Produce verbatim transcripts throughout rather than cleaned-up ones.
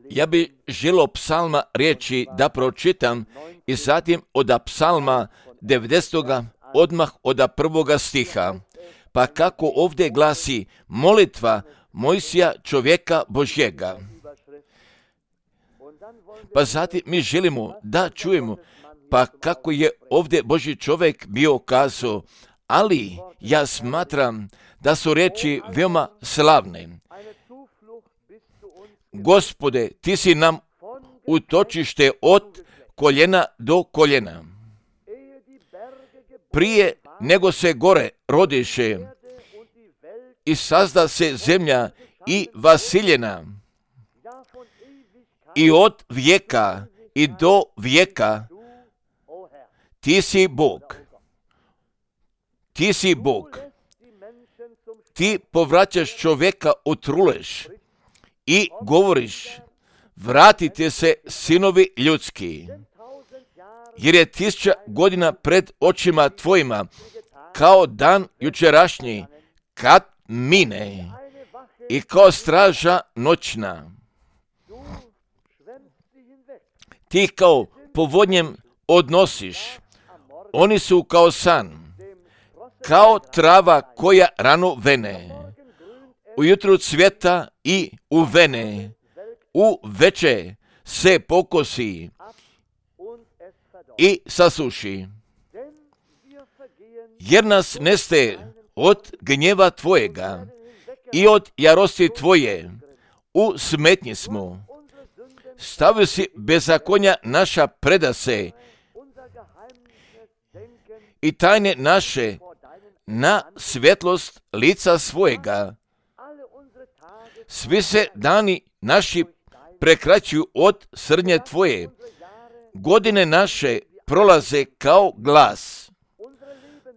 Ja bi želio psalma riječi da pročitam i zatim od psalma devedesetog odmah od prvoga stiha. Pa kako ovdje glasi molitva Mojsija čovjeka Božjega. Pa zatim mi želimo da čujemo pa kako je ovdje Božji čovjek bio kazao, ali ja smatram da su riječi veoma slavne. Gospode, ti si nam utočište od koljena do koljena. Prije nego se gore rodiše i sazda se zemlja i vasiljena i od vijeka i do vijeka ti si Bog. Ti si Bog. Ti povraćaš čovjeka u trulež i govoriš, vratite se sinovi ljudski, jer je tisuća godina pred očima tvojima, kao dan jučerašnji, kad mine, i kao straža noćna. Ti kao povodnjem odnosiš, oni su kao san, kao trava koja rano vene, ujutru cvjeta i uvene, u veče se pokosi i sasuši. Jer nas neste od gnjeva tvojega i od jarosti tvoje, u smetnji smo. Stavio si bezakonja naša predase i tajne naše na svjetlost lica svojega. Svi se dani naši prekraćuju od srnje tvoje. Godine naše prolaze kao glas.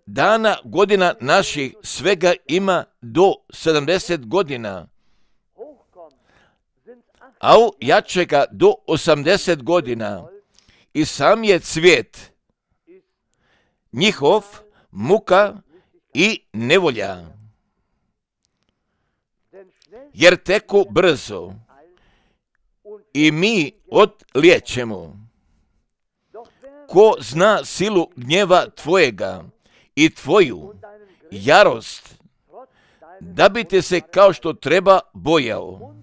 Dana godina naših svega ima do sedamdeset godina, a u jačega do osamdeset godina. I sam je cvijet njihov muka i nevolja, jer teku brzo i mi odliječemo. Ko zna silu gnjeva tvojega i tvoju jarost, da bi te se kao što treba bojao.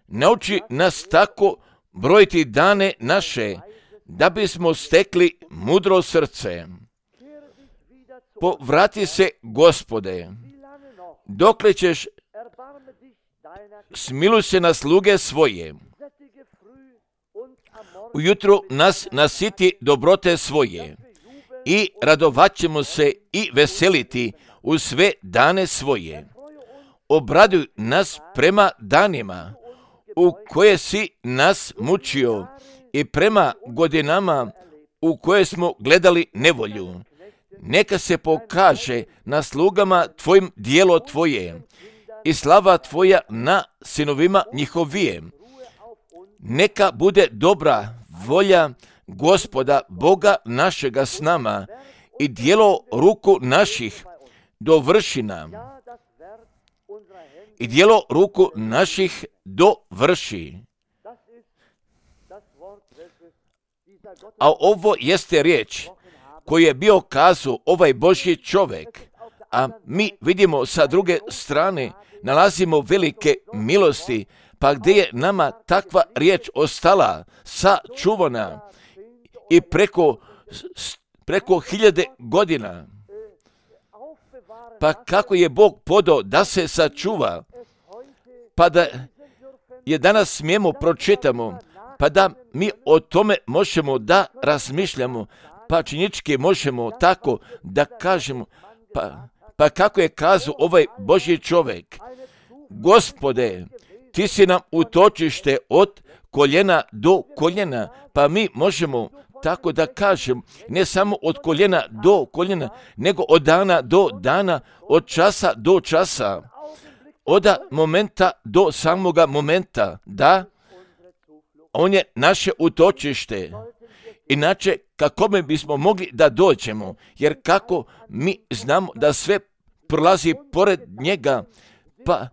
Nauči nas tako brojiti dane naše, da bismo stekli mudro srce. Povrati se, Gospode, dokle ćeš smiluj se na sluge svoje. Ujutru nas nasiti dobrote svoje i radovat ćemo se i veseliti u sve dane svoje. Obraduj nas prema danima u koje si nas mučio i prema godinama u koje smo gledali nevolju. Neka se pokaže na slugama tvojim djelo tvoje i slava tvoja na sinovima njihovijem. Neka bude dobra volja Gospoda Boga našega s nama i djelo ruku naših dovrši nam. I djelo ruku naših dovrši. A ovo jeste riječ koju je bio kazao ovaj Božji čovjek, a mi vidimo sa druge strane, nalazimo velike milosti, pa gdje je nama takva riječ ostala, sačuvana i preko, preko hiljade godina. Pa kako je Bog podao da se sačuva, pa da je danas smijemo pročitamo, pa da mi o tome možemo da razmišljamo, pa činički možemo tako da kažemo, pa, pa kako je kazao ovaj Božji čovjek, Gospode, ti si nam utočište od koljena do koljena, pa mi možemo tako da kažem, ne samo od koljena do koljena, nego od dana do dana, od časa do časa, od momenta do samoga momenta, da, on je naše utočište. Inače, kako mi bismo mogli da dođemo, jer kako mi znamo da sve prolazi pored njega, pa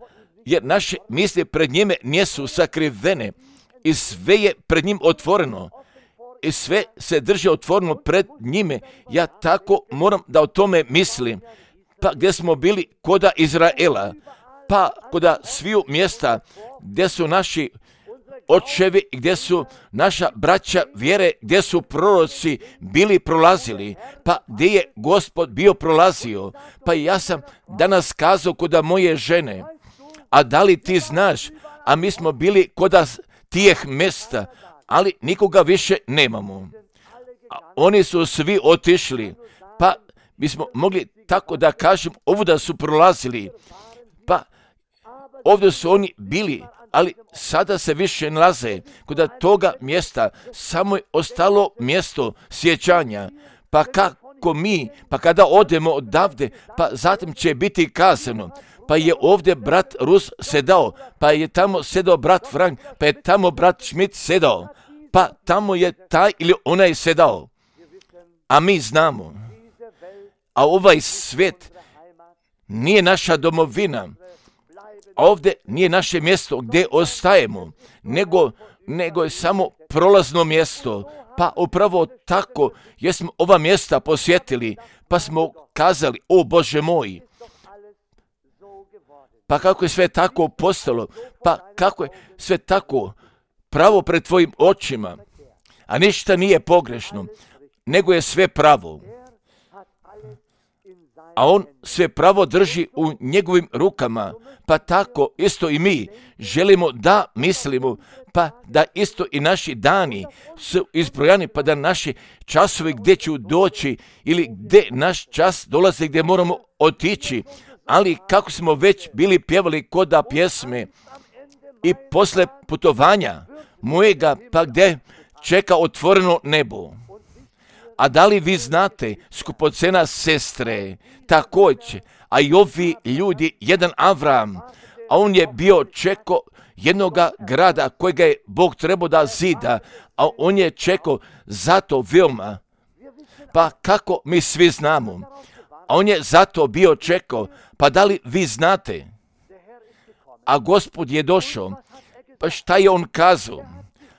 jer naše misli pred njime nisu sakrivene i sve je pred njim otvoreno. I sve se drži otvoreno pred njime. Ja tako moram da o tome mislim. Pa gdje smo bili koda Izraela, pa koda sviju mjesta gdje su naši očevi, gdje su naša braća vjere, gdje su proroci bili prolazili, pa gdje je Gospod bio prolazio. Pa ja sam danas kazao koda moje žene, a da li ti znaš, a mi smo bili koda tijeh mjesta, ali nikoga više nemamo. A oni su svi otišli, pa bismo mogli tako da kažem, ovuda su prolazili, pa ovdje su oni bili, ali sada se više nalaze kod toga mjesta, samo je ostalo mjesto sjećanja. Pa kako mi, pa kada odemo odavde, pa zatim će biti kazano, pa je ovdje brat Rus sedao, pa je tamo sedao brat Frank, pa je tamo brat Schmidt sedao, pa tamo je taj ili onaj sedao. A mi znamo, a ovaj svijet nije naša domovina, ovdje nije naše mjesto gdje ostajemo, nego, nego je samo prolazno mjesto. Pa upravo tako jesmo ova mjesta posjetili, pa smo kazali, o Bože moj, pa kako je sve tako postalo, pa kako je sve tako pravo pred tvojim očima, a ništa nije pogrešno, nego je sve pravo. A on sve pravo drži u njegovim rukama, pa tako isto i mi želimo da mislimo, pa da isto i naši dani su izbrojani, pa da naši časovi gdje ću doći ili gdje naš čas dolazi, gdje moramo otići, ali kako smo već bili pjevali koda pjesme i posle putovanja mojega, pa gdje čeka otvoreno nebo. A da li vi znate, skupocena sestre, također, a i ovi ljudi, jedan Avram, a on je bio čekao jednoga grada kojega je Bog trebao da zida, a on je čekao zato veoma. Pa kako mi svi znamo, a on je zato bio čekao, pa da li vi znate, a Gospod je došao, pa šta je on kazao?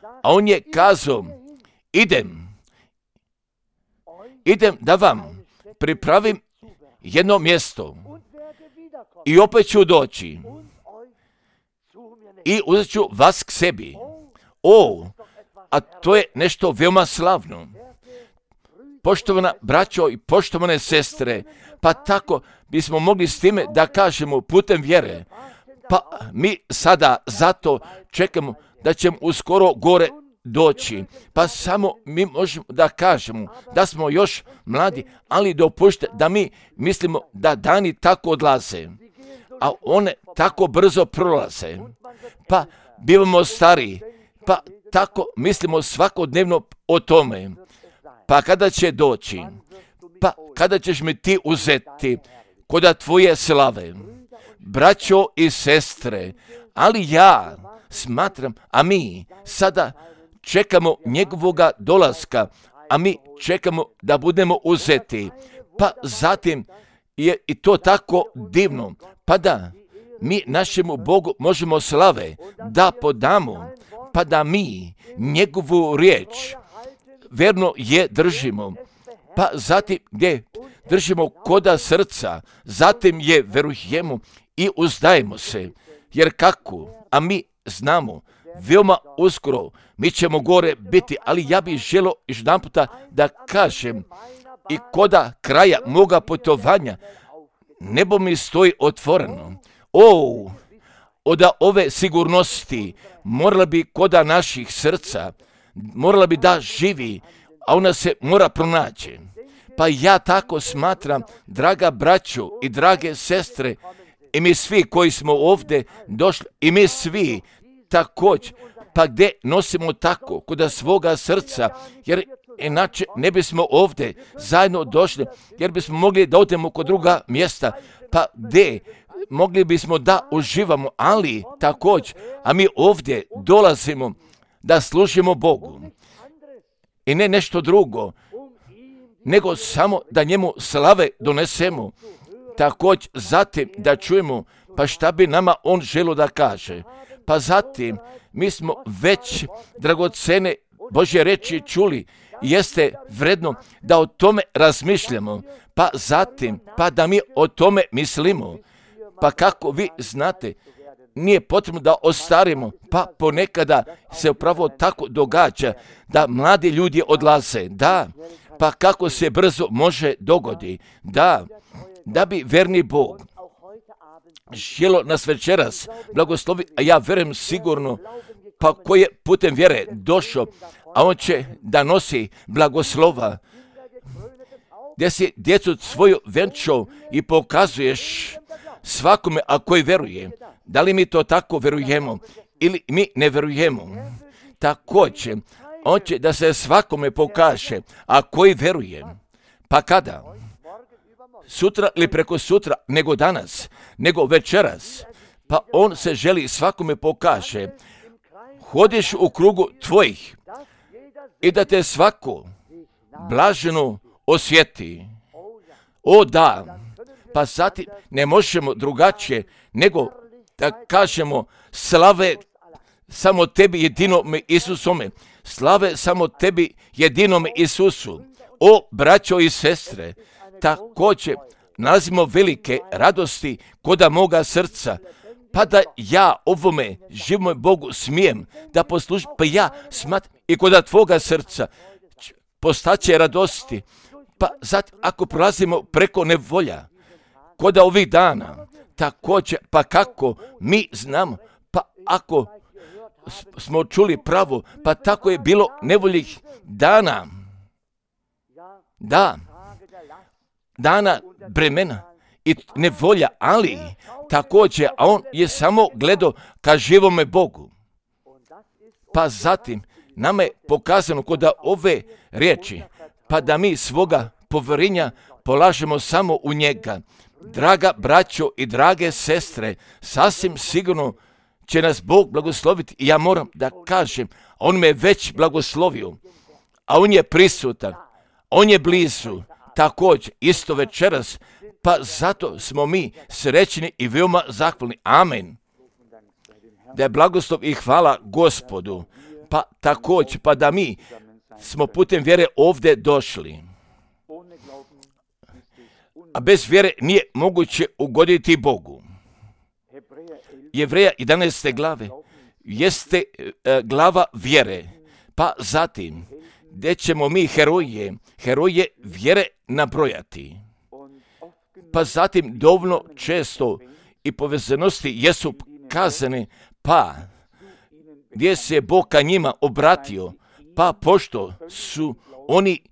A on je kazao, idem, idem da vam pripravim jedno mjesto i opet ću doći i uzet ću vas k sebi. O, a to je nešto veoma slavno. Poštovana braćo i poštovane sestre, pa tako bismo mogli s time da kažemo putem vjere, pa mi sada zato čekamo da ćemo uskoro gore doći, pa samo mi možemo da kažemo da smo još mladi, ali dopušte da mi mislimo da dani tako odlaze, a one tako brzo prolaze, pa bivamo stariji, pa tako mislimo svakodnevno o tome, pa kada će doći, pa kada ćeš mi ti uzeti koda tvoje slave, braćo i sestre, ali ja smatram, a mi sada čekamo njegovoga dolaska, a mi čekamo da budemo uzeti. Pa zatim je i to tako divno, pa da mi našemu Bogu možemo slave da podamo, pa da mi njegovu riječ verno je držimo, pa zatim gdje držimo koda srca, zatim je verujemo i uzdajemo se, jer kako, a mi znamo, veoma uskoro mi ćemo gore biti, ali ja bih želio još jedan puta da kažem i koda kraja moga putovanja nebo mi stoji otvoreno. O, od ove sigurnosti morala bi koda naših srca, morala bi da živi, a ona se mora pronaći. Pa ja tako smatram, draga braćo i drage sestre, i mi svi koji smo ovdje došli, i mi svi također, pa gdje nosimo tako kod svoga srca, jer inače ne bismo ovdje zajedno došli, jer bismo mogli da odemo kod druga mjesta, pa gdje mogli bismo da uživamo, ali također, a mi ovdje dolazimo da služimo Bogu i ne nešto drugo, nego samo da njemu slave donesemo, također zatim da čujemo pa šta bi nama on želio da kaže? Pa zatim, mi smo već dragocene Božje reči čuli, jeste vredno da o tome razmišljamo, pa zatim, pa da mi o tome mislimo. Pa kako vi znate, nije potrebno da ostarimo, pa ponekada se upravo tako događa da mladi ljudi odlaze. Da, pa kako se brzo može dogodi. Da, da bi verni Bog želo nas večeras blagoslovi, a ja verujem sigurno, pa koji je putem vjere došao, a on će da nosi blagoslova, gdje si djecu svoju venčao i pokazuješ svakome, a koji veruje. Da li mi to tako verujemo ili mi ne verujemo? Također, on će da se svakome pokaže, a koji veruje. Pa kada? Sutra ili preko sutra, nego danas, nego večeras. Pa on se želi svakome pokaže. Hodiš u krugu tvojih i da te svako blaženo osjeti. O da, pa zatim ne možemo drugačije nego da kažemo slave samo tebi jedinome Isusome. Slave samo tebi jedinome Isusu. O braćo i sestre, također nalazimo velike radosti koda moga srca, pa da ja ovome živome Bogu smijem da poslužim, pa ja smatram i koda tvoga srca postaće radosti. Pa zatim ako prolazimo preko nevolja, koda ovih dana, također, pa kako mi znamo, pa ako smo čuli pravo, pa tako je bilo nevoljih dana. Da, dana bremena i nevolja, ali također, a on je samo gledao ka živome Bogu. Pa zatim, nama je pokazano kod ove riječi, pa da mi svoga povjerenja polažemo samo u njega. Draga braćo i drage sestre, sasvim sigurno će nas Bog blagosloviti. I ja moram da kažem, on me već blagoslovio, a on je prisutan, on je blizu, također, isto večeras, pa zato smo mi srećni i veoma zahvalni. Amen. Da je blagoslov i hvala Gospodu, pa također, pa da mi smo putem vjere ovdje došli. A bez vjere nije moguće ugoditi Bogu. Jevreja jedanaeste glave jeste e, glava vjere, pa zatim gdje ćemo mi heroje, heroje vjere nabrojati. Pa zatim dovoljno često i povezanosti jesu kazane, pa gdje se Bog ka njima obratio, pa pošto su oni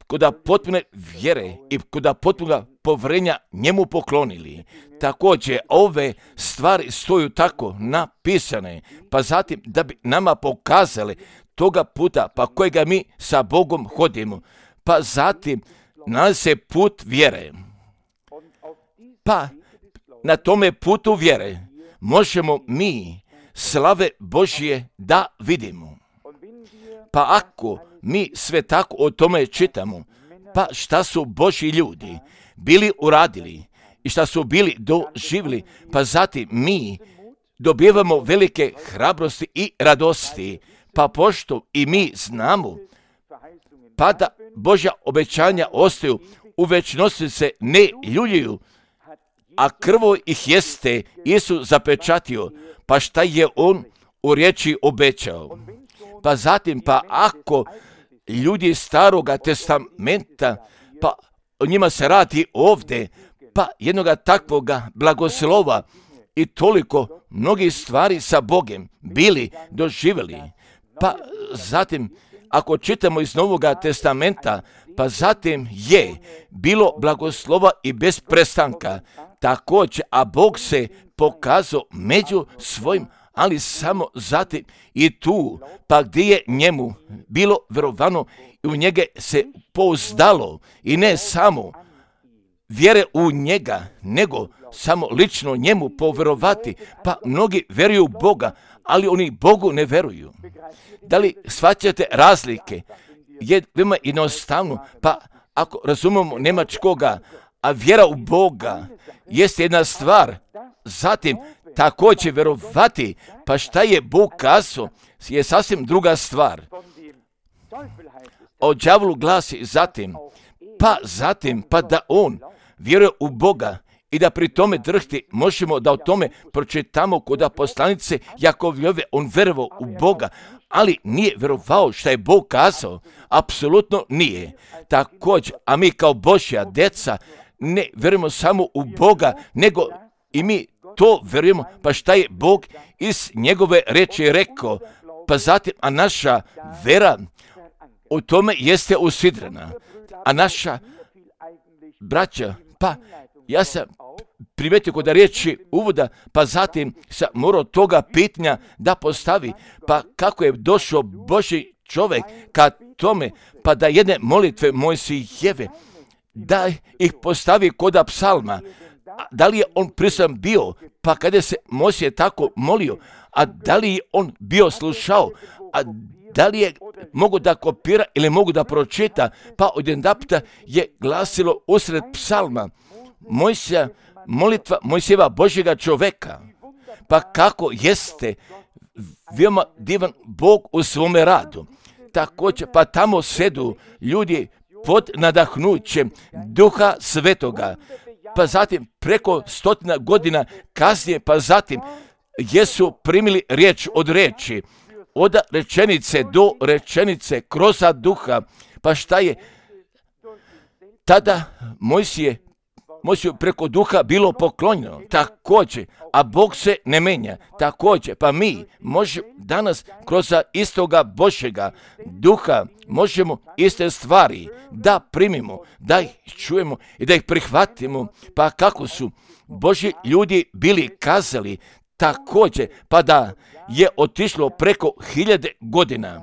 koda potpune vjere i koda potpunog povjerenja njemu poklonili. Također, ove stvari stoju tako napisane, pa zatim da bi nama pokazali toga puta pa kojega mi sa Bogom hodimo, pa zatim nalazi se put vjere. Pa na tome putu vjere možemo mi slave Božje da vidimo. Pa ako mi sve tako o tome čitamo, pa šta su Božji ljudi bili uradili i šta su bili doživjeli, pa zatim mi dobivamo velike hrabrosti i radosti, pa pošto i mi znamo, pa da Božja obećanja ostaju, u večnosti se ne ljuljuju, a krvo ih jeste Isus zapečatio, pa šta je on u riječi obećao. Pa zatim, pa ako ljudi staroga testamenta, pa o njima se radi ovdje, pa jednoga takvoga blagoslova i toliko mnogih stvari sa Bogem bili doživjeli. Pa zatim, ako čitamo iz Novoga testamenta, pa zatim je bilo blagoslova i bez prestanka. Također, a Bog se pokazao među svojim, ali samo zatim i tu, pa gdje je njemu bilo vjerovano i u njega se pouzdalo i ne samo vjere u njega, nego samo lično njemu povjerovati, pa mnogi vjeruju u Boga, ali oni Bogu ne vjeruju. Da li shvaćate razlike? Je veoma jednostavno, pa ako razumemo njemačkoga, a vjera u Boga jeste jedna stvar zatim također vjerovati, pa šta je Bog kazao, je sasvim druga stvar. O đavolu glasi zatim, pa zatim, pa da on vjeruje u Boga i da pri tome drhti, možemo da o tome pročitamo kod poslanice Jakovljove, on vjerovao u Boga, ali nije vjerovao šta je Bog kazao, apsolutno nije. Također, a mi kao Božja deca ne vjerujemo samo u Boga, nego i mi to vjerujemo, pa šta je Bog iz njegove reči rekao, pa zatim, a naša vera u tome jeste usidrena, a naša braća, pa ja sam primetio kod riječi uvoda, pa zatim sam morao toga pitanja da postavi, pa kako je došao Božji čovjek ka tome, pa da jedne molitve Mojsijeve, da ih postavi kod psalma, da li je on prisutan bio, pa kada se Mojsije tako molio, a da li je on bio slušao, a da li je mogu da kopira ili mogu da pročita, pa odjedanputa je glasilo usred psalma, Mojsija, molitva Mojsijeva Božjega čoveka, pa kako jeste veoma divan Bog u svome radu. Također, pa tamo sedu ljudi pod nadahnućem Duha Svetoga, pa zatim preko stotina godina kasnije, pa zatim jesu primili riječ od riječi, od rečenice do rečenice kroz Duha, pa šta je tada Mojsije Mojsiju preko Duha bilo poklonjeno, također, a Bog se ne menja, također, pa mi možemo danas kroz istoga Božjega Duha možemo iste stvari da primimo, da ih čujemo i da ih prihvatimo, pa kako su Božji ljudi bili kazali, također, pa da je otišlo preko hiljade godina,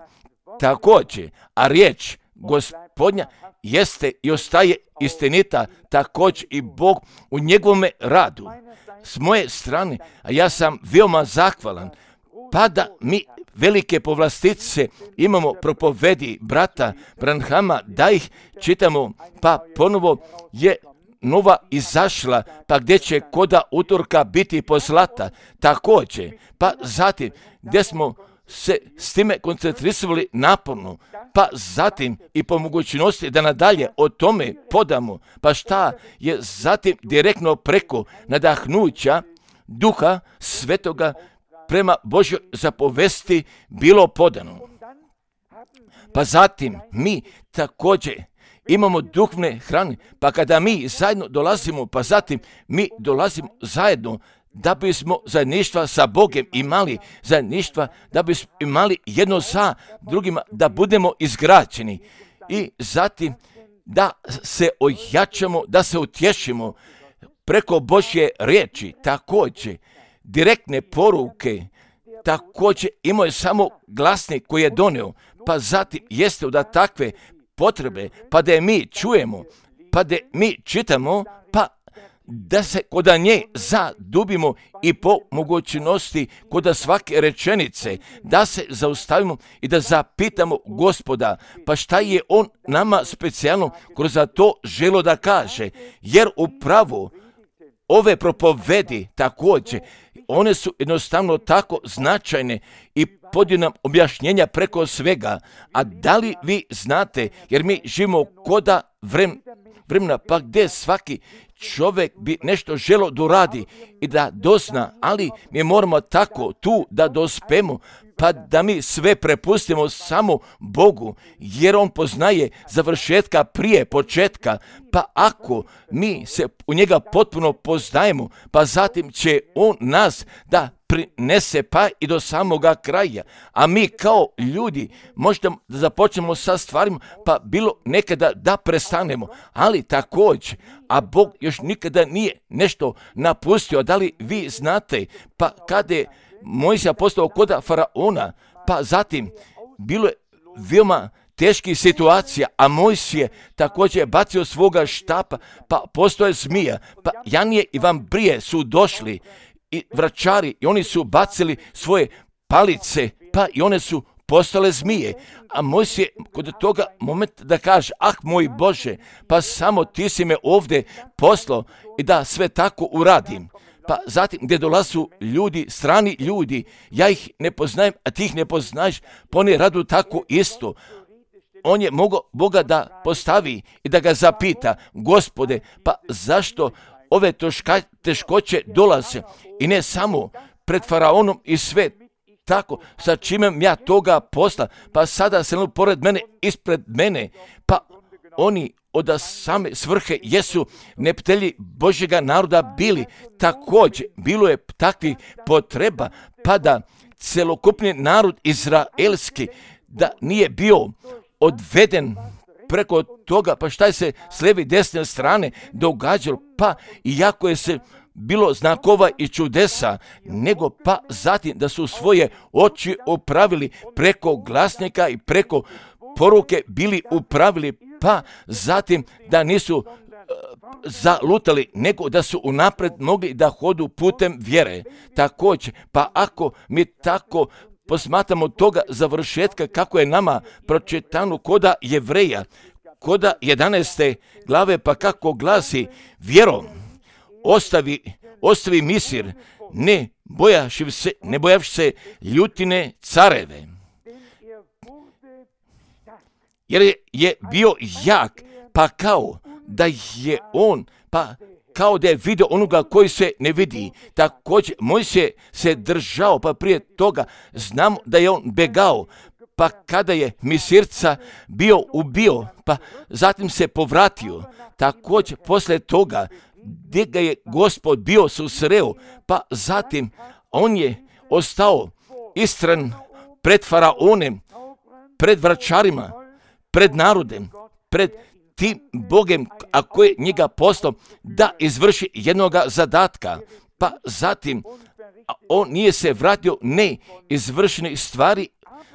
također, a riječ Gospodnja jeste i ostaje istinita, također i Bog u njegovome radu. S moje strane, a ja sam veoma zahvalan, pa da mi velike povlastice imamo propovedi brata Branhama, da ih čitamo, pa ponovo je nova izašla, pa gdje će koda utorka biti poslata, također, pa zatim gdje smo se s time koncentrisali naporno, pa zatim i po mogućnosti da nadalje o tome podamo, pa šta je zatim direktno preko nadahnuća Duha Svetoga prema Božjoj zapovesti bilo podano. Pa zatim mi također imamo duhovne hrane, pa kada mi zajedno dolazimo, pa zatim mi dolazimo zajedno da bismo zajedništva sa Bogom imali, zajedništva da bismo imali jedno sa drugima, da budemo izgrađeni i zatim da se ojačamo, da se utješimo preko Božje riječi, također direktne poruke, također imao je samo glasnik koji je donio, pa zatim jeste da takve potrebe, pa da je mi čujemo, pa da mi čitamo, pa da se kod nje zadubimo i po mogućnosti kod svake rečenice, da se zaustavimo i da zapitamo Gospoda, pa šta je on nama specijalno kroz to želo da kaže, jer upravo ove propovedi također, one su jednostavno tako značajne i podiju nam objašnjenja preko svega, a da li vi znate, jer mi živimo koda vrem, vremena, pa gdje svaki čovjek bi nešto želo da uradi i da dozna, ali mi moramo tako tu da dospemo, pa da mi sve prepustimo samo Bogu, jer On poznaje završetka prije početka, pa ako mi se u njega potpuno poznajemo, pa zatim će On nas da prinese pa i do samoga kraja, a mi kao ljudi možda da započnemo sa stvarima, pa bilo nekada da prestanemo, ali također, a Bog još nikada nije nešto napustio, da li vi znate, pa kada je Mojsija postao koda faraona, pa zatim bilo je veoma teških situacija, a Mojsije također je bacio svoga štapa, pa postoje zmija, pa Janije i Vambrije su došli i vračari i oni su bacili svoje palice, pa i one su postale zmije, a Mojsije kod toga momenta da kaže, ah moj Bože, pa samo ti si me ovdje poslao i da sve tako uradim. pa zatim gdje dolazu ljudi, strani ljudi, ja ih ne poznajem, a ti ih ne poznaješ, pa oni radu tako isto. On je mogao Boga da postavi i da ga zapita, Gospode, pa zašto ove toška, teškoće dolaze i ne samo pred faraonom i sve tako, sa čime ja toga posla, pa sada se pored mene, ispred mene, pa oni od same svrhe jesu neptelji Božjega naroda bili. Također, bilo je takvih potreba, pa da celokupni narod izraelski, da nije bio odveden preko toga, pa šta je se s lijeve i desne strane događalo, pa iako je se bilo znakova i čudesa, nego pa zatim da su svoje oči upravili preko glasnika i preko poruke bili upravili, pa zatim da nisu uh, zalutali, nego da su unapred mogli da hodu putem vjere. Također, pa ako mi tako posmatramo toga završetka kako je nama pročitano koda Jevreja, koda jedanaeste glave, pa kako glasi, vjerom ostavi, ostavi Misir, ne bojaši se, ne bojavši se ljutine careve. Jer je, je bio jak, pa kao da je on, pa kao da je vidio onoga koji se ne vidi. Također, Mojsije se držao, pa prije toga znamo da je on begao, pa kada je Misirca bio ubio, pa zatim se povratio. Također, poslije toga, gdje ga je Gospod bio susreo, pa zatim on je ostao istran pred faraonem, pred vračarima, pred narodem, pred tim Bogem, a koji je njega poslao da izvrši jednoga zadatka. Pa zatim on nije se vratio ne izvršenih stvari,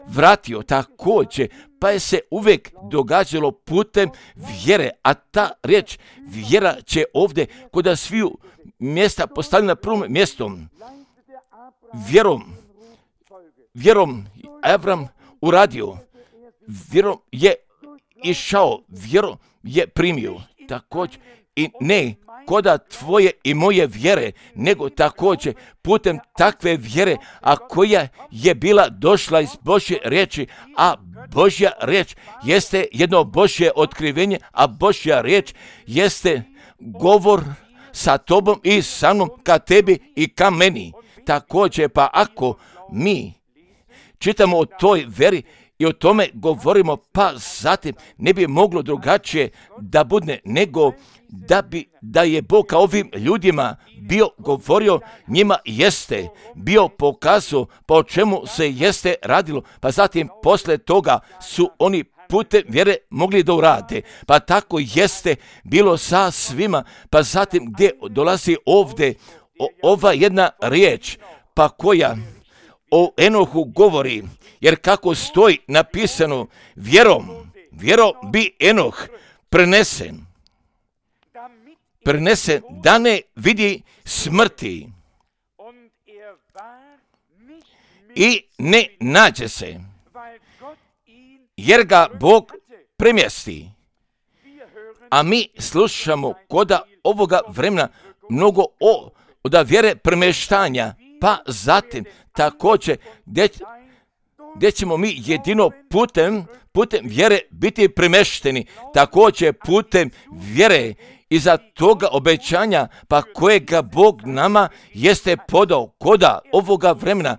vratio također, pa je se uvijek događalo putem vjere, a ta riječ vjera će ovdje kod sviju mjesta postavljena na prvom mjestom. Vjerom, vjerom Avram uradio, vjerom je išao, vjerom je primio, također i ne koda tvoje i moje vjere, nego također putem takve vjere, a koja je bila došla iz Božje riječi, a Božja riječ jeste jedno Božje otkrivenje, a Božja riječ jeste govor sa tobom i sa mnom, ka tebi i ka meni. Također, pa ako mi čitamo o toj vjeri i o tome govorimo, pa zatim ne bi moglo drugačije da bude nego da bi da je Bog kao ovim ljudima bio govorio, njima jeste bio pokazao pa o čemu se jeste radilo, pa zatim posle toga su oni putem vjere mogli da urade. Pa tako jeste bilo sa svima, pa zatim gdje dolazi ovdje o, ova jedna riječ, pa koja o Enohu govori, jer kako stoji napisano, vjerom, vjerom bi Enoh prenesen, prenesen da ne vidi smrti i ne nađe se, jer ga Bog premjesti. A mi slušamo koda ovoga vremena mnogo o od vjere premještanja, pa zatim također gdje, gdje ćemo mi jedino putem, putem vjere biti premješteni, također putem vjere iza toga obećanja, pa kojega Bog nama jeste podao koda ovoga vremena.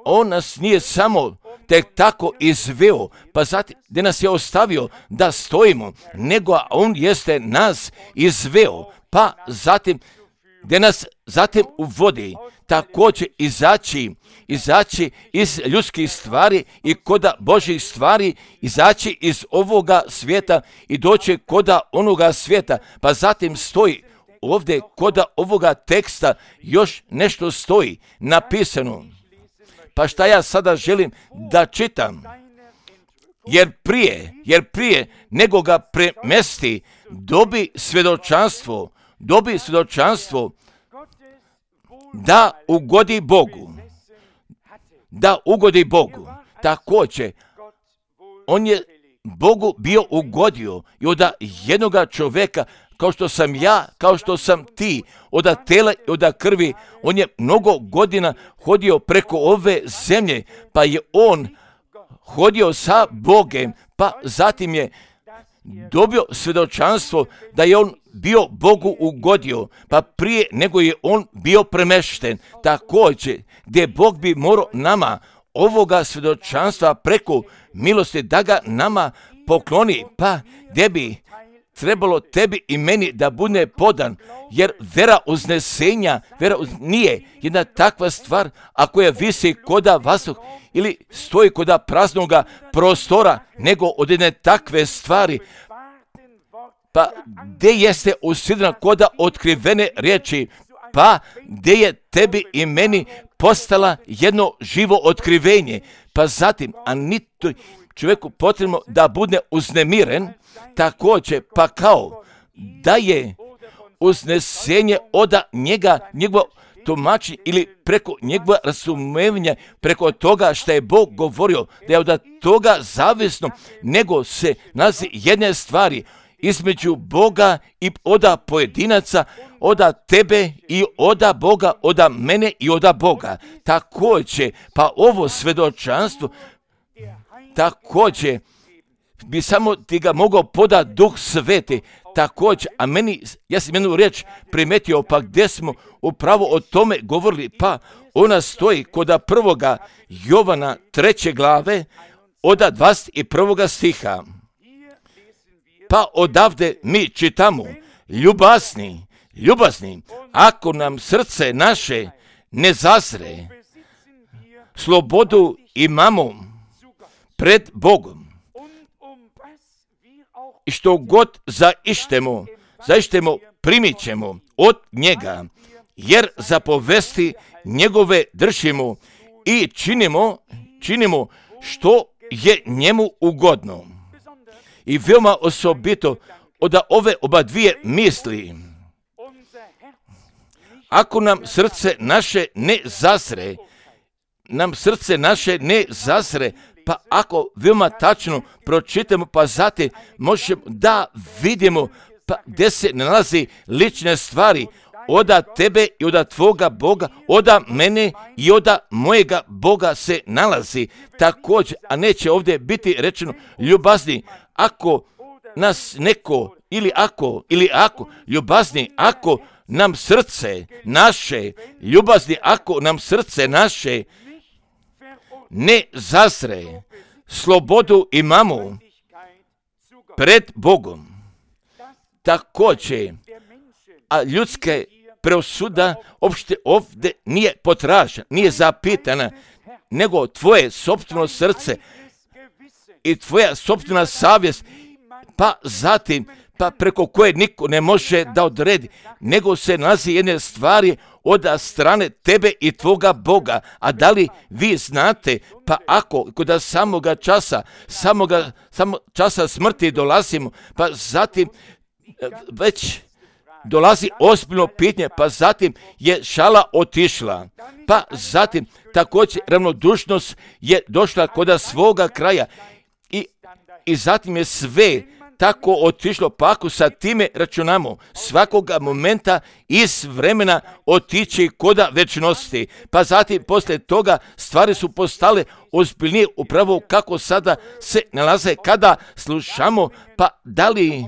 On nas nije samo tek tako izveo, pa zatim gdje nas je ostavio da stojimo, nego on jeste nas izveo, pa zatim gdje nas zatim uvodi, također izaći, izaći iz ljudskih stvari i koda Božjih stvari, izaći iz ovoga svijeta i doći koda onoga svijeta, pa zatim stoji ovdje koda ovoga teksta još nešto stoji napisano. Pa šta ja sada želim da čitam? Jer prije, jer prije nego ga premesti, dobi svjedočanstvo, dobi svjedočanstvo da ugodi Bogu, da ugodi Bogu. Također, on je Bogu bio ugodio i od jednoga čovjeka kao što sam ja, kao što sam ti, od tela i od krvi. On je mnogo godina hodio preko ove zemlje, pa je on hodio sa Bogem, pa zatim je dobio svjedočanstvo da je on bio Bogu ugodio, pa prije nego je on bio premešten. Također, gdje Bog bi morao nama ovoga svjedočanstva preko milosti da ga nama pokloni, pa gdje bi trebalo tebi i meni da bude podan, jer vera uznesenja, vera uz... nije jedna takva stvar, ako je visi koda vazduh ili stoji koda praznoga prostora, nego od jedne takve stvari, pa gdje jeste usidrena koda otkrivene riječi, pa gdje je tebi i meni postala jedno živo otkrivenje, pa zatim, a nito čovjeku potrebno da bude uznemiren, također, pa kao da je uznesenje od njega, njegovo tumačenje ili preko njegova razumevanja, preko toga što je Bog govorio, da je od toga zavisno, nego se nalazi jedne stvari između Boga i oda pojedinaca, oda tebe i oda Boga, oda mene i oda Boga. Također, pa ovo svjedočanstvo, također, bi samo ti ga mogao podati Duh Sveti, također, a meni, ja sam jednu riječ primetio, pa gdje smo upravo o tome govorili, pa ona stoji koda prvoga Jovana treće glave, oda dvadeset prvoga stiha. Pa odavde mi čitamo, ljubazni, ljubazni, ako nam srce naše ne zazre, slobodu imamo pred Bogom. I što god zaištemo, zaištemo primit ćemo od njega, jer zapovesti njegove držimo i činimo, činimo što je njemu ugodno. I veoma osobito od ove oba dvije misli, ako nam srce naše ne zazre, nam srce naše ne zazre, pa ako veoma tačno pročitamo, pa zatim možemo da vidimo pa gdje se nalazi lične stvari oda tebe i oda tvoga Boga, oda mene i oda mojega Boga se nalazi također, a neće ovdje biti rečeno ljubazni, ako nas neko ili ako, ili ako, ljubazni, ako nam srce naše, ljubazni, ako nam srce naše ne zazre, slobodu imamo pred Bogom. Također, a ljudske presuda opšte ovdje nije potražena, nije zapitana, nego tvoje sopstveno srce i tvoja sopstvena savjest, pa zatim, pa preko koje niko ne može da odredi, nego se nalazi jedne stvari od strane tebe i tvoga Boga. A da li vi znate, pa ako kod samoga časa, samoga, samo časa smrti dolazimo, pa zatim već dolazi ozbiljno pitanje, pa zatim je šala otišla, pa zatim također ravnodušnost je došla kod svoga kraja i, i zatim je sve tako otišlo, pa ako sa time računamo svakoga momenta iz vremena otići koda večnosti, pa zatim poslije toga stvari su postale ozbiljnije upravo kako sada se nalaze kada slušamo, pa da li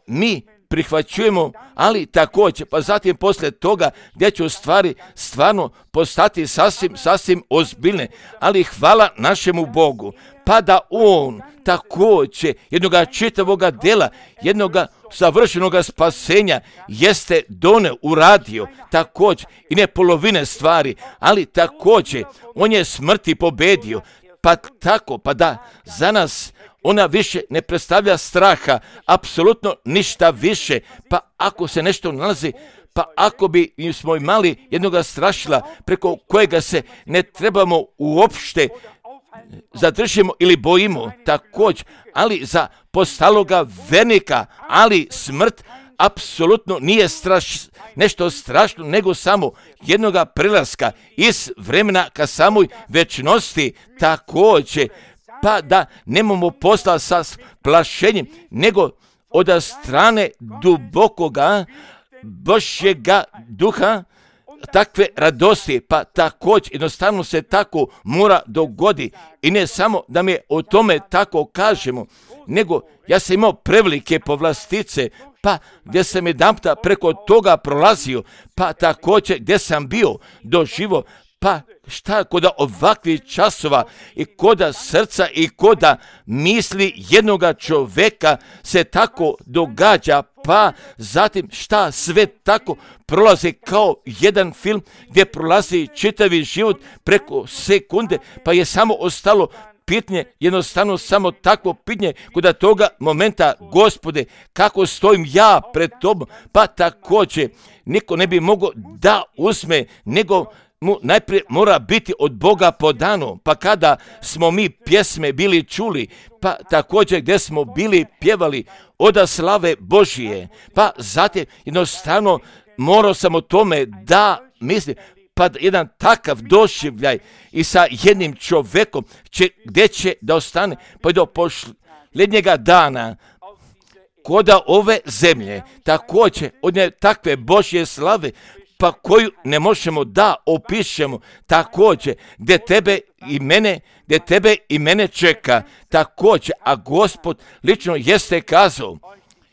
mi prihvaćujemo, ali također, pa zatim poslije toga gdje će u stvari stvarno postati sasvim, sasvim ozbiljne, ali hvala našemu Bogu, pa da On također jednoga čitavoga dela, jednoga savršenoga spasenja jeste done uradio, također i ne polovine stvari, ali također On je smrti pobedio, pa tako, pa da za nas ona više ne predstavlja straha, apsolutno ništa više, pa ako se nešto nalazi, pa ako bi smo imali jednoga strašila preko kojega se ne trebamo uopšte zadržimo ili bojimo, također, ali za postaloga vernika, ali smrt apsolutno nije straš, nešto strašno, nego samo jednoga prelaska iz vremena ka samoj večnosti, također, pa da nemamo posla sa plašenjem, nego od strane dubokoga Božjega duha, takve radosti, pa također jednostavno se tako mora dogodi. I ne samo da mi o tome tako kažemo, nego ja sam imao prevelike povlastice, pa gdje sam jedanputa preko toga prolazio, pa također gdje sam bio doživo, pa šta koda ovakvih časova i koda srca i koda misli jednoga čovjeka se tako događa, pa zatim šta sve tako prolazi kao jedan film gdje prolazi čitavi život preko sekunde, pa je samo ostalo pitanje, jednostavno samo takvo pitanje koda toga momenta, Gospode, kako stojim ja pred tobom, pa također niko ne bi mogao da uzme, nego mu najprije mora biti od Boga podano, pa kada smo mi pjesme bili čuli, pa također gdje smo bili pjevali oda slave Božije, pa zatim jednostavno morao sam o tome da mislim, pa jedan takav doživljaj i sa jednim čovjekom će, gdje će da ostane, pa do posljednjega dana koda ove zemlje, također od nje takve Božje slave, pa koju ne možemo da opišemo, također gdje tebe i mene, gdje tebe i mene čeka, također, a Gospod lično jeste kazao,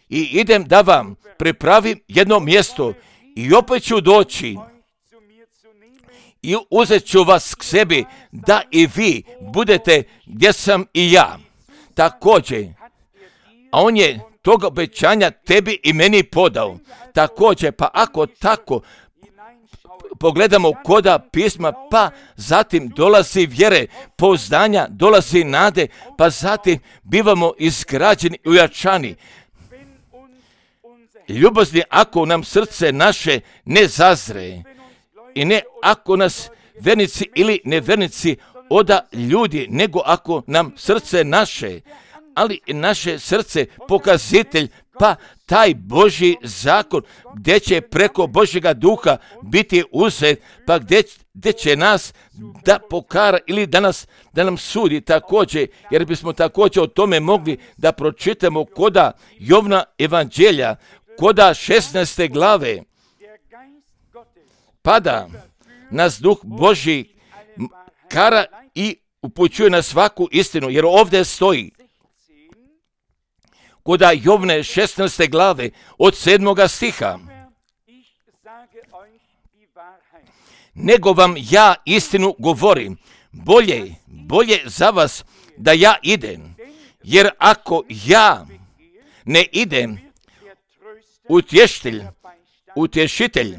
i idem da vam pripravim jedno mjesto i opet ću doći i uzet ću vas k sebi da i vi budete gdje sam i ja. Također, a on je toga obećanja tebi i meni podao. Također, pa ako tako pogledamo koda pisma, pa zatim dolazi vjere, pouzdanja, dolazi nade, pa zatim bivamo izgrađeni i ujačani. Ljubazni, ako nam srce naše ne zazre i ne ako nas vernici ili nevernici oda ljudi, nego ako nam srce naše, ali naše srce pokazitelj, pa taj Božji zakon gdje će preko Božjega duha biti uzet, pa gdje, gdje će nas da pokara ili da, nas, da nam sudi također, jer bismo također o tome mogli da pročitamo koda Jovna evanđelja, koda šesnaeste glave, pada nas duh Božji kara i upućuje na svaku istinu, jer ovdje stoji koda Jovne šesnaeste glave od sedmoga stiha. Nego vam ja istinu govorim, bolje, bolje za vas da ja idem, jer ako ja ne idem, utješitelj, utješitelj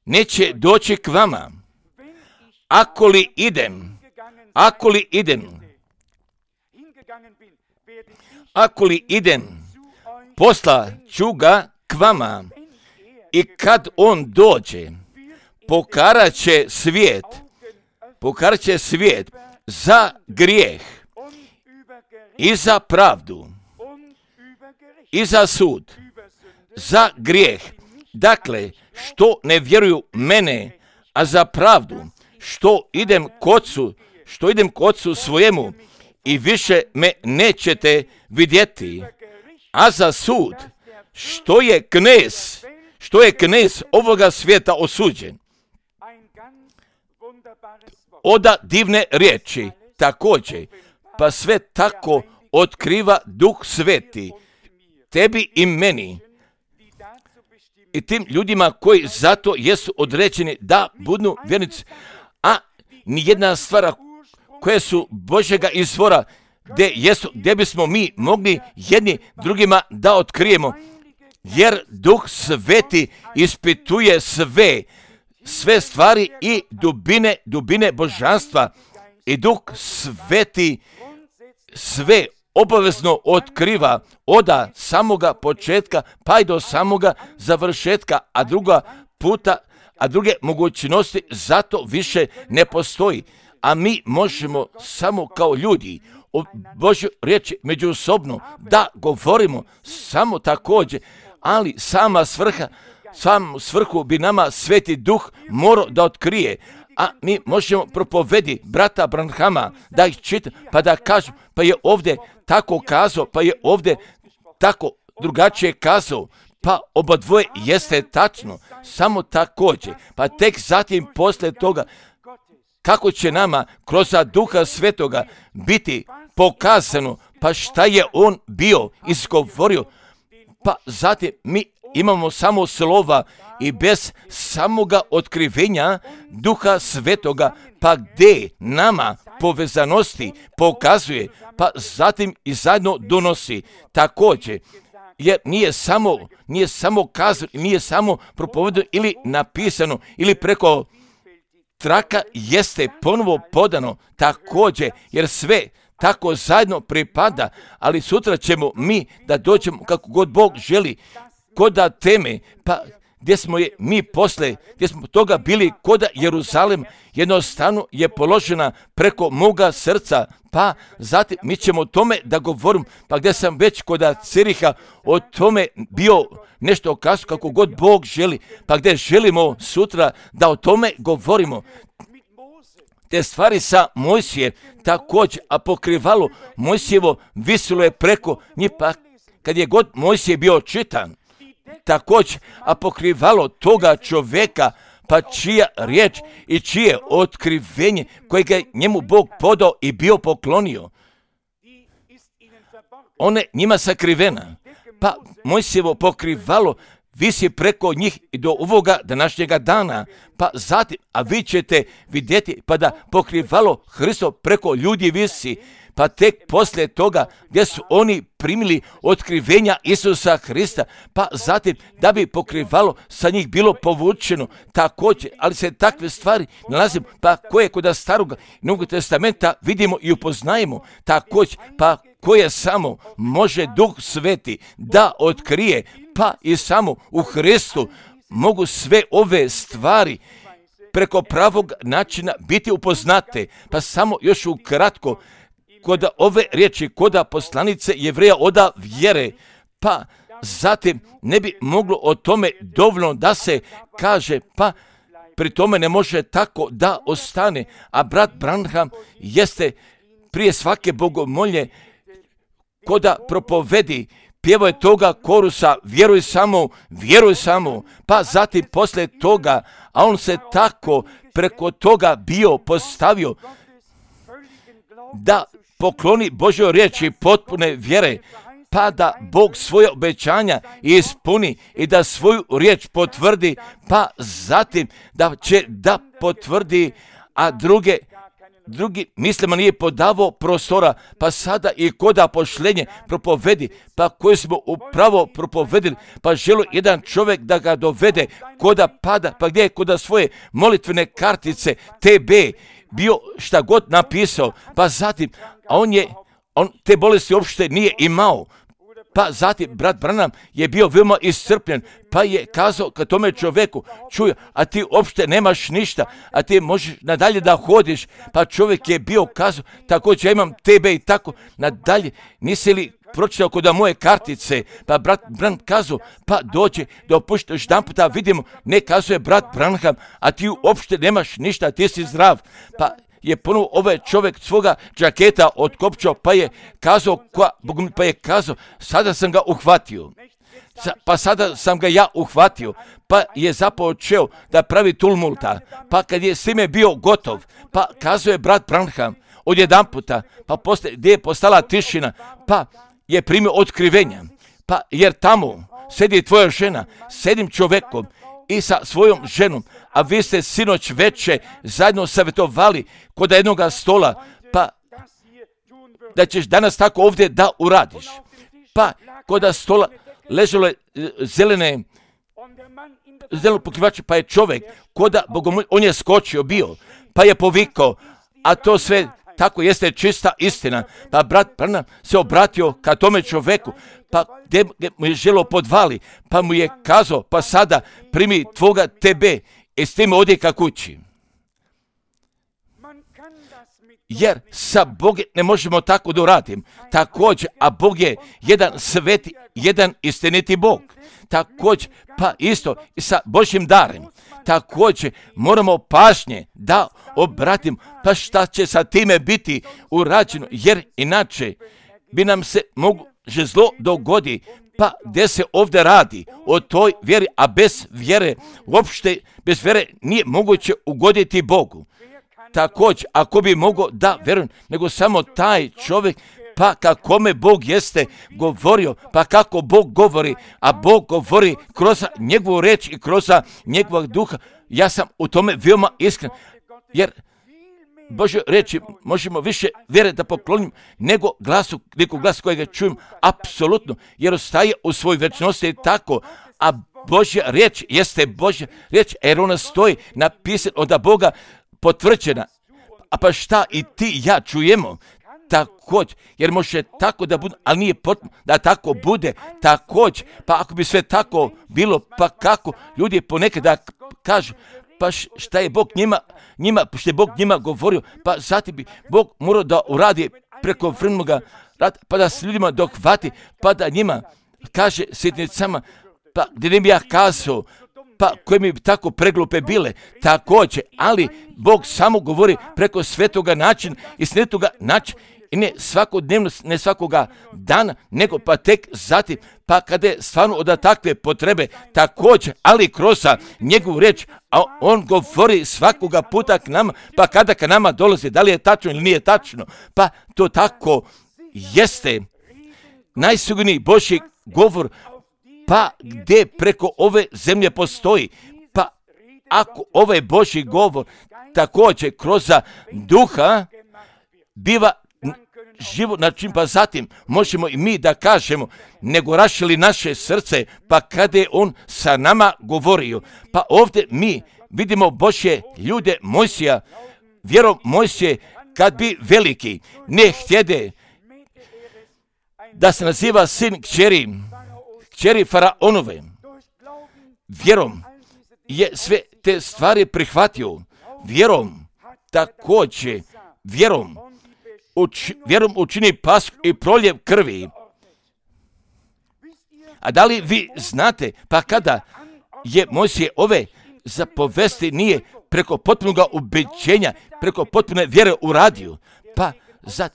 neće doći k vama. Ako li idem, ako li idem, ako li idem, posla ću ga k vama i kad on dođe, pokarat će svijet, pokarat će svijet za grijeh i za pravdu i za sud, za grijeh. Dakle, što ne vjeruju mene, a za pravdu, što idem k Ocu, što idem k Ocu svojemu i više me nećete vidjeti, a za sud, što je knez, što je knez ovoga svijeta osuđen. Oda divne riječi, također, pa sve tako otkriva Duh Sveti, tebi i meni, i tim ljudima koji zato jesu određeni da budu vjernici, a nijedna stvar koje su Božjega izvora, gdje, jesu, gdje bismo mi mogli jedni drugima da otkrijemo, jer Duh Sveti ispituje sve, sve stvari i dubine, dubine božanstva, i Duh Sveti sve obavezno otkriva oda samoga početka pa i do samoga završetka, a druga puta, a druge mogućnosti zato više ne postoji. A mi možemo samo kao ljudi o Božjoj riječi međusobno da govorimo samo također, ali sama svrha, samu svrhu bi nama Sveti Duh morao da otkrije, a mi možemo propovedi brata Branhama da ih čita, pa da kažu, pa je ovdje tako kazao, pa je ovdje tako drugačije kazao, pa oba dvoje jeste tačno, samo također, pa tek zatim poslije toga, kako će nama kroz Duha Svetoga biti pokazano, pa šta je on bio izgovorio, pa zatim mi imamo samo slova i bez samoga otkrivenja Duha Svetoga, pa gdje nama povezanosti pokazuje, pa zatim i zajedno donosi također, jer nije samo, nije samo kazano, nije samo propovedano ili napisano ili preko traka jeste ponovo podano također, jer sve tako zajedno pripada, ali sutra ćemo mi da dođemo kako god Bog želi, koda teme, pa gdje smo je mi posle, gdje smo toga bili koda Jeruzalem, jednostavno je položena preko moga srca, pa zatim mi ćemo o tome da govorim, pa gdje sam već koda Ciriha o tome bio nešto kazao kako god Bog želi, pa gdje želimo sutra da o tome govorimo. Te stvari sa Mojsije također, a pokrivalo Mojsijevo visilo je preko njih, pa kad je god Mojsije bio čitan, također, a pokrivalo toga čovjeka, pa čija riječ i čije otkrivenje kojega je njemu Bog podao i bio poklonio, one njima sakrivena, pa Mojsijevo pokrivalo visi preko njih i do ovoga današnjega dana, pa zatim, a vi ćete vidjeti, pa da pokrivalo Hristo preko ljudi visi, pa tek poslije toga gdje su oni primili otkrivenja Isusa Hrista, pa zatim da bi pokrivalo sa njih bilo povučeno također, ali se takve stvari nalazimo, pa koje kod Starog Novog Testamenta vidimo i upoznajemo također, pa koje samo može Duh Sveti da otkrije, pa i samo u Hristu mogu sve ove stvari preko pravog načina biti upoznate, pa samo još ukratko, kod ove riječi, kod poslanice Jevreja oda vjere, pa zatim ne bi moglo o tome dovoljno da se kaže, pa pri tome ne može tako da ostane, a brat Branham jeste prije svake bogomolje koda propovedi, pjevao je toga korusa, vjeruj samo, vjeruj samo, pa zatim poslije toga, a on se tako preko toga bio postavio da pokloni Božjoj riječi potpune vjere, pa da Bog svoje obećanja ispuni i da svoju riječ potvrdi, pa zatim da će da potvrdi, a druge drugi mislima nije podavao prostora, pa sada i koda pošljenje propovedi, pa koji smo upravo propovedili, pa želi jedan čovjek da ga dovede koda pada, pa gdje je koda svoje molitvene kartice T B bio šta god napisao, pa zatim, a on je, on te bolesti uopšte nije imao, pa zatim brat Branham je bio veoma iscrpljen, pa je kazao ka tome čovjeku, čuj, a ti uopšte nemaš ništa, a ti možeš nadalje da hodiš, pa čovjek je bio kazao, također ja imam tebe i tako nadalje, nisi li pročitao kod moje kartice, pa brat Branham kazao, pa dođe da opuštiš jedan puta, vidimo, ne kazuje brat Branham, a ti uopšte nemaš ništa, ti si zdrav, pa je ponovo ovaj čovjek svoga džaketa otkopčao, pa je kazao, pa je kazao, sada sam ga uhvatio, pa sada sam ga ja uhvatio, pa je započeo da pravi tumulta, pa kad je s time bio gotov, pa kazuje brat Branham, odjedan puta, pa poslije, gdje je postala tišina, pa je primio otkrivenja, pa jer tamo sedi tvoja žena, sedim čovjekom i sa svojom ženom, a vi ste sinoć veče zajedno savjetovali kod jednoga stola, pa da ćeš danas tako ovdje da uradiš. Pa kod stola ležalo je zelene, zeleno pokrivače, pa je čovjek, koda bogomolj, on je skočio bio, pa je povikao, a to sve tako jeste čista istina. Pa brat Branham se obratio ka tome čovjeku, pa gdje mu je želo podvali, pa mu je kazao, pa sada primi tvoga tebe i s tim odi ka kući. Jer sa Bogom ne možemo tako da uradim. Također, a Bog je jedan sveti, jedan istiniti Bog. Također, pa isto i sa Božjim darem. Također, moramo pažnje da obratim, pa šta će sa time biti urađeno, jer inače bi nam se mogu že zlo dogodi, pa gdje se ovdje radi o toj vjeri, a bez vjere, uopšte bez vjere nije moguće ugoditi Bogu. Također, ako bi mogao da vjerujem, nego samo taj čovjek, pa kakome Bog jeste govorio, pa kako Bog govori, a Bog govori kroz njegovu reč i kroz njegovog duha, ja sam u tome veoma iskren, jer Božje reči možemo više vjere da poklonimo nego glasu, nego glas kojega čujem, apsolutno, jer ostaje u svoj večnosti tako, a Božja riječ jeste Božja riječ, jer ona stoji napisana od Boga potvrđena. A pa šta i ti i ja čujemo također, jer može tako da bude, ali nije potrebno da tako bude također. Pa ako bi sve tako bilo, pa kako ljudi ponekad da kažu, pa šta je Bog njima, njima, što je Bog njima govorio, pa zatim bi Bog morao da uradi preko vremenoga rada, pa da s ljudima dohvati, pa da njima kaže sitnicama, pa gdje ne bi ja kazao, pa koje mi bi tako preglupe bile, također, ali Bog samo govori preko svetoga načina i svetoga načina, i ne svakodnevno, ne svakoga dana, nego pa tek zatim, pa kada je stvarno od takve potrebe također, ali kroz njegovu reč, a on govori svakoga puta k nama, pa kada ka nama dolazi, da li je tačno ili nije tačno, pa to tako jeste najsigurniji Božji govor, pa gdje preko ove zemlje postoji, pa ako ovaj Božji govor također kroz duha biva život, na čim pa zatim možemo i mi da kažemo, nego rašili naše srce, pa kada je on sa nama govorio, pa ovdje mi vidimo Božje ljude Mojsija, vjerom Mojsije, kad bi veliki ne htjede da se naziva sin kćeri, kćeri Faraonove, vjerom je sve te stvari prihvatio, vjerom također, vjerom Uč, vjerom učini pasku i proljev krvi. A da li vi znate, pa kada je Mojsije ove zapovesti nije preko potpunog ubeđenja, preko potpune vjere uradio, pa zat,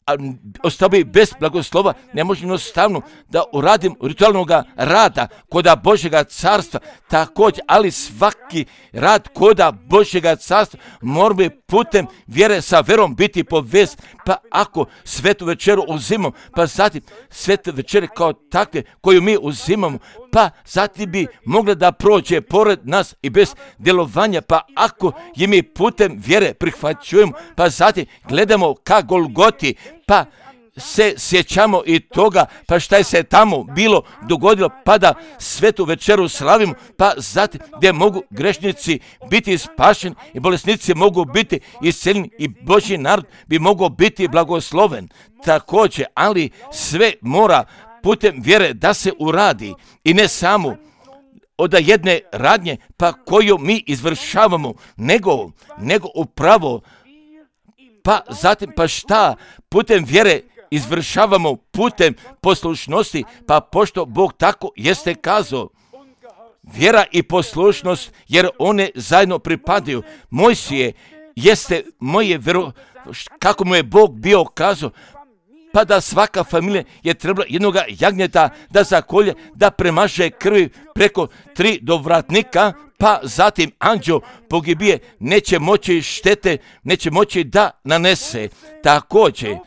a ostao bi bez blagoslova, ne može jednostavno da uradim ritualnog rada koda Božjega carstva, također, ali svaki rad koda Božjega carstva mora bi putem vjere sa vjerom biti povez, pa ako svetu večeru uzimamo, pa zatim svetu večere kao takve koju mi uzimamo, pa zatim bi mogla da prođe pored nas i bez djelovanja, pa ako je mi putem vjere prihvaćujemo, pa zatim gledamo ka Golgoti, pa se sjećamo i toga, pa šta je se tamo bilo dogodilo, pa da svetu večeru slavimo, pa zatim gdje mogu grešnici biti spašeni i bolesnici mogu biti isceljeni i Božji narod bi mogao biti blagosloven. Također, ali sve mora putem vjere da se uradi i ne samo od jedne radnje, pa koju mi izvršavamo, nego, nego upravo, pa zatim pa šta putem vjere izvršavamo putem poslušnosti, pa pošto Bog tako jeste kazao, vjera i poslušnost, jer one zajedno pripadaju. Mojsije jeste moje vjero, kako mu je Bog bio kazao, pa da svaka familija je trebala jednog jagnjeta da zakolje, da premaže krvi preko tri dovratnika, pa zatim anđeo pogibije neće moći štete, neće moći da nanese. Također,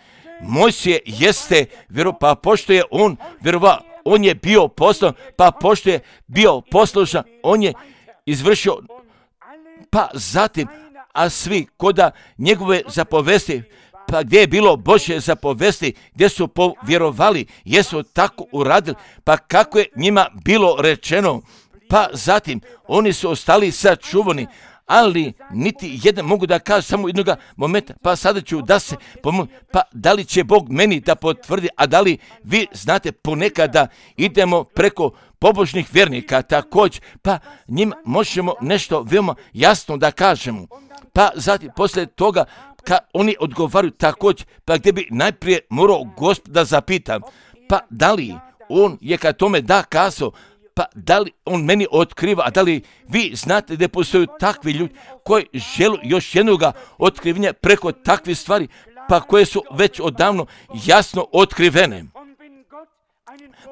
Mojsije jeste vjero, pa pošto je on vjerova, on je bio poslan, pa pošto je bio poslušan, on je izvršio, pa zatim, a svi koda njegove zapovesti, pa gdje je bilo Božje zapovesti, gdje su povjerovali, jesu tako uradili, pa kako je njima bilo rečeno, pa zatim oni su ostali sačuvani, ali niti jedan mogu da kažu samo jednog momenta, pa sada ću da se pomoći, pa da li će Bog meni da potvrdi, a da li vi znate ponekad da idemo preko pobožnih vjernika također, pa njima možemo nešto veoma jasno da kažemo, pa zatim poslije toga kad oni odgovaraju također, pa gdje bi najprije morao Gospod da zapitam, pa da li on je kad tome da kazao, pa da li on meni otkriva, a da li vi znate da postoju takvi ljudi koji žele još jednog otkrivenja preko takvih stvari, pa koje su već odavno jasno otkrivene.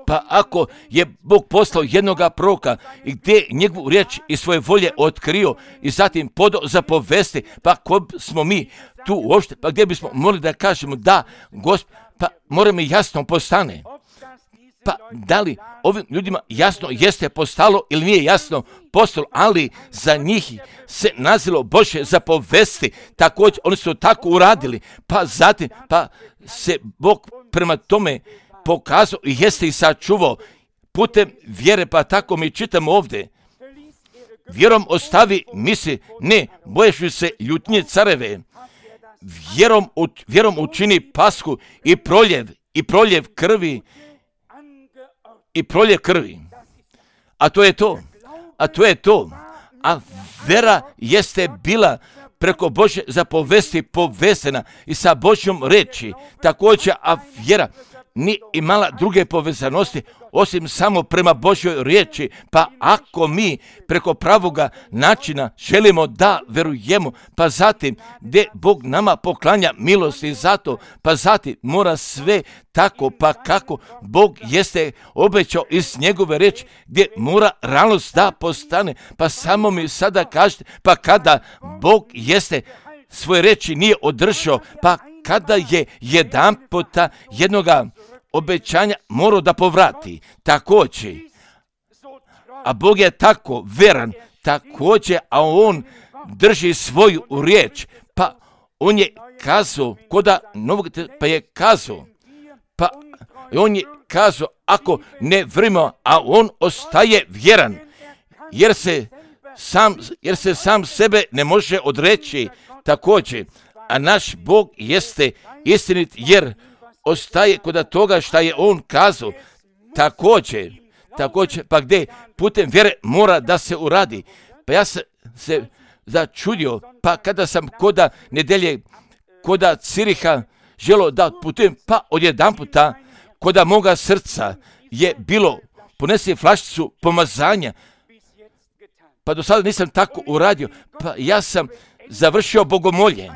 Pa ako je Bog poslao jednoga proroka i gdje njegovu riječ i svoje volje otkrio i zatim podao za povesti, pa ko smo mi tu uopšte, pa gdje bismo morali da kažemo da, Gospod, pa mora mi jasno postane. Pa da li ovim ljudima jasno jeste postalo ili nije jasno postalo, ali za njih se nazilo Božje zapovesti, također oni su tako uradili, pa zatim pa se Bog prema tome pokazao i jeste i sačuvao putem vjere, pa tako mi čitamo ovdje. Vjerom ostavi misli, ne boješi se ljutnje careve, vjerom, vjerom učini pasku i proljev, i proljev krvi, i proljev krvi. A to je to. A to je to. A vera jeste bila preko Božje zapovesti povezana i sa Božjom reči. Također, a vjera nije imala druge povezanosti osim samo prema Božjoj riječi. Pa ako mi preko pravoga načina želimo da verujemo, pa zatim gdje Bog nama poklanja milosti zato, pa zatim mora sve tako, pa kako Bog jeste obećao iz njegove riječi, gdje mora realnost da postane. Pa samo mi sada kažete, pa kada Bog jeste svoje riječi nije održao, pa kada je jedan puta jednoga obećanja morao da povrati, također, a Bog je tako veran, također, a on drži svoju riječ, pa on je kazao, koda novog, pa je kazao, pa on je kazao, ako ne vrimo, a on ostaje vjeran, jer se sam, jer se sam sebe ne može odreći, također, a naš Bog jeste istinit, jer ostaje kod toga šta je on kazao, također, također, pa gdje putem vjere mora da se uradi. Pa ja sam se začudio, pa kada sam koda nedelje, koda Ciriha želo da putujem, pa odjedan puta, koda moga srca je bilo ponesi flašicu pomazanja, pa do sada nisam tako uradio, pa ja sam završio bogomolje,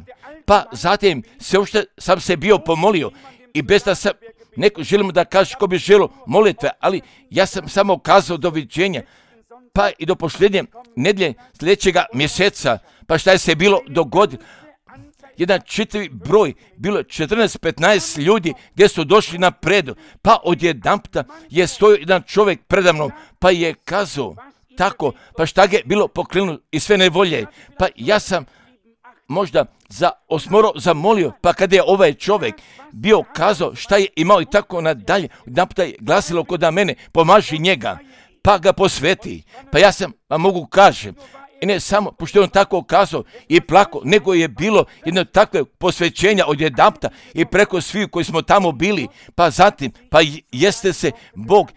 pa zatim se uopšte sam se bio pomolio i bez da sam neko želimo da kaže ko bi želio molitve, ali ja sam samo kazao doviđenja, pa i do posljednje nedjelje sljedećega mjeseca, pa šta je se bilo dogodilo. Jedan čitavi broj, bilo četrnaest petnaest ljudi gdje su došli na predu, pa odjedanputa je stojio jedan čovjek predamnom, pa je kazao tako, pa šta je bilo pokrenuo i sve nevolje, pa ja sam možda za osmoro zamolio, pa kada je ovaj čovjek bio kazao šta je imao i tako nadalje, jedan puta je glasilo kod mene, pomaži njega, pa ga posveti, pa ja sam, pa mogu kažem, i ne samo, pošto je on tako kazao i plako, nego je bilo jedno takve posvećenja od jedanputa i preko svih koji smo tamo bili, pa zatim, pa jeste se Bog,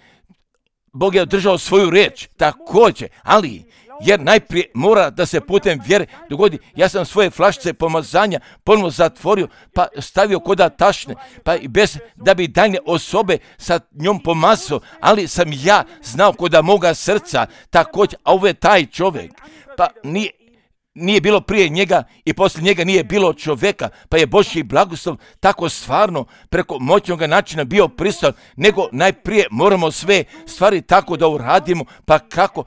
Bog je održao svoju riječ, također, ali jer najprije mora da se putem vjere dogodi. Ja sam svoje flašice pomazanja ponovno zatvorio, pa stavio koda tašne, pa i bez da bi daljne osobe sa njom pomazao, ali sam ja znao koda moga srca, također, a ovo je taj čovjek, pa nije, nije bilo prije njega i poslije njega nije bilo čovjeka, pa je Božji blagoslov tako stvarno preko moćnog načina bio prisutan, nego najprije moramo sve stvari tako da uradimo, pa kako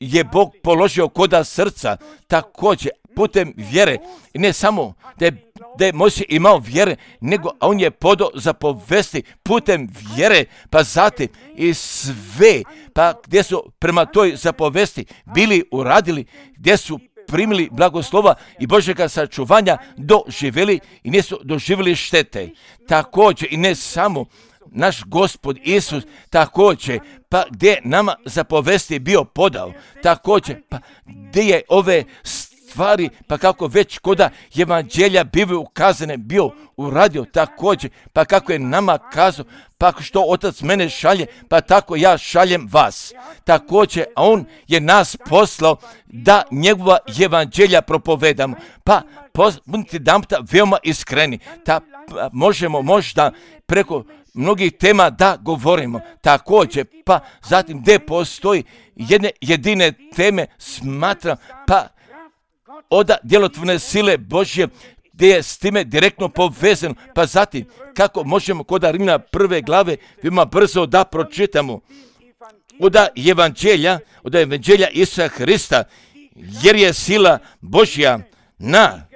je Bog položio koda srca, također putem vjere, i ne samo da je, da je Mojsije imao vjere, nego on je podao za povesti putem vjere, pa zatim i sve, pa gdje su prema toj zapovesti bili uradili, gdje su primili blagoslova i Božjega sačuvanja, doživjeli i nisu doživjeli štete. Također i ne samo naš Gospod Isus, također, pa gdje nama zapovesti bio podao, također, pa gdje je ove stvari, pa kako već koda evanđelja bivaju ukazane, bio uradio, također, pa kako je nama kazao, pa što Otac mene šalje, pa tako ja šaljem vas. Također, a on je nas poslao da njegova evanđelja propovedamo, pa budite damta veoma iskreni, ta pa, možemo možda preko mnogih tema da govorimo, također, pa zatim gdje postoji jedne jedine teme, smatram, pa oda djelotvorne sile Božje, gdje je s time direktno povezano. Pa zatim, kako možemo kod Rimljana prve glave veoma brzo da pročitamo od evanđelja, od evanđelja Isusa Hrista, jer je sila Božja na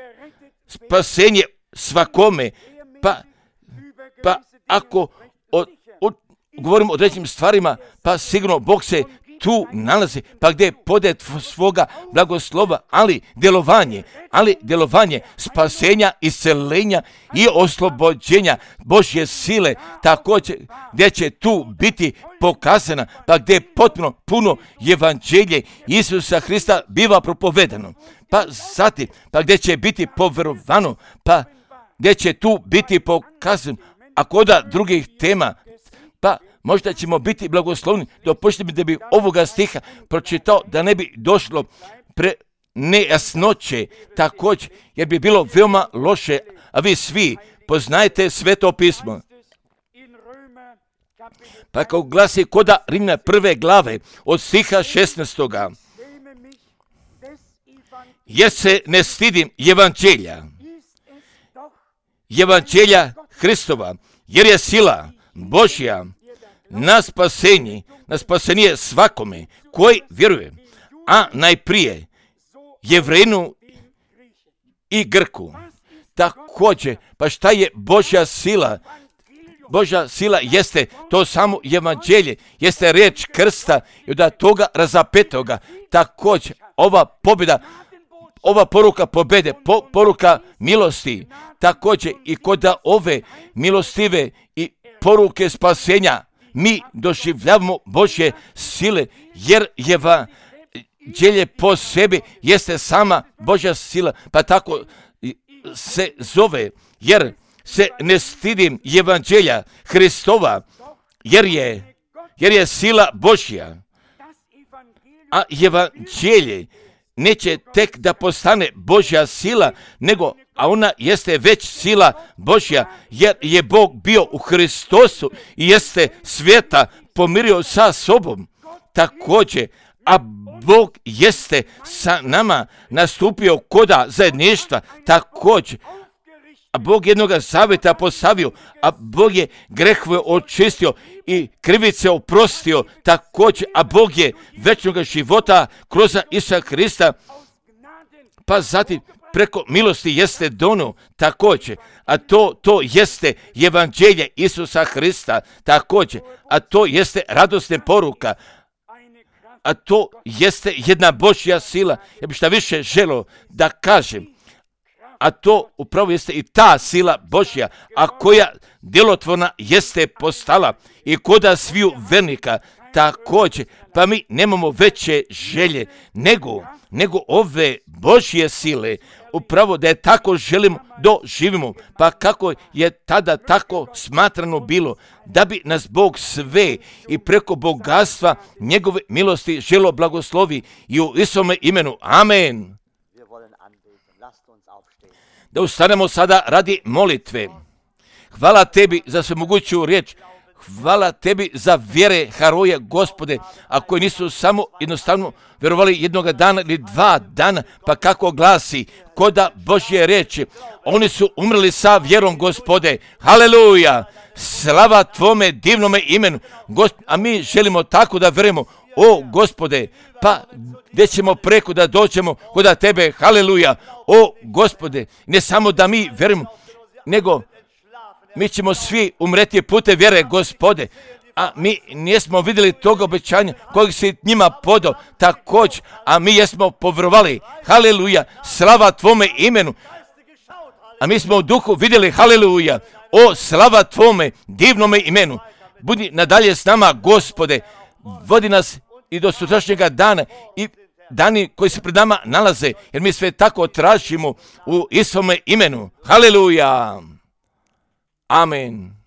spasenje svakome. Pa, pa ako o, o, govorimo o određenim stvarima, pa sigurno Bog se tu nalazi, pa gdje pode svoga blagoslova, ali djelovanje, ali djelovanje spasenja, iscelenja i oslobođenja Božje sile, također gdje će tu biti pokazana, pa gdje je potpuno puno evanđelje Isusa Hrista biva propovedano, pa zatim, pa gdje će biti poverovano, pa gdje će tu biti pokazano, a kod drugih tema, pa možda ćemo biti blagoslovni. Dopustite mi da bi ovoga stiha pročitao, da ne bi došlo pre nejasnoće također, jer bi bilo veoma loše, a vi svi poznajete Sveto pismo. Pa kao glasi koda Rimljana prve glave od stiha šesnaestoga. Jer se ne stidim evanđelja, evanđelja Hristova, jer je sila Božja na spasenje, na spasenje svakome koji vjeruje, a najprije Jevrejinu i Grku. Također, pa šta je Božja sila? Božja sila jeste to samo evanđelje, jeste riječ krsta i od toga razapetoga. Također, ova pobjeda, ova poruka pobjede, po, poruka milosti, također i kod ove milostive i poruke spasenja, mi doživljavamo Božje sile, jer evanđelje po sebi jeste sama Božja sila, pa tako se zove, jer se ne stidim evanđelja Hristova, jer je, jer je sila Božja, a evanđelje neće tek da postane Božja sila, nego, a ona jeste već sila Božja, jer je Bog bio u Hristosu i jeste svijeta pomirio sa sobom. Također, a Bog jeste sa nama nastupio koda zajedništva, također, a Bog jednoga zaveta postavio, a Bog je grehove očistio i krivice oprostio, također, a Bog je večnog života kroz Isusa Hrista, pa zatim preko milosti jeste dono također, a to, to jeste evanđelje Isusa Hrista također, a to jeste radosna poruka, a to jeste jedna Božja sila. Ja bih šta više želio da kažem, a to upravo jeste i ta sila Božja, a koja djelotvorna jeste postala i koda sviju vernika također, pa mi nemamo veće želje nego, nego ove Božje sile, upravo da je tako želimo doživimo, pa kako je tada tako smatrano bilo, da bi nas Bog sve i preko bogatstva njegove milosti želo blagoslovi i u Isome imenu. Amen. Da ustanemo sada radi molitve. Hvala tebi za svemoguću riječ. Hvala tebi za vjere heroje, Gospode, a koji nisu samo jednostavno vjerovali jednoga dana ili dva dana, pa kako glasi koda Božje riječi, oni su umrli sa vjerom, Gospode. Haleluja! Slava tvome divnome imenu, Gospod, a mi želimo tako da vjerujemo. O, Gospode, pa gdje ćemo preko da dođemo kod tebe, haleluja, o, Gospode, ne samo da mi vjerujemo, nego mi ćemo svi umreti putem vjere, Gospode, a mi nismo vidjeli toga obećanja kojeg si njima podao također, a mi jesmo povjerovali, haleluja, slava tvome imenu, a mi smo u duhu vidjeli, haleluja, o, slava tvome divnome imenu, budi nadalje s nama, Gospode, vodi nas i do sutrašnjega dana i dani koji se pred nama nalaze, jer mi sve tako tražimo u Isome imenu. Haleluja! Amen.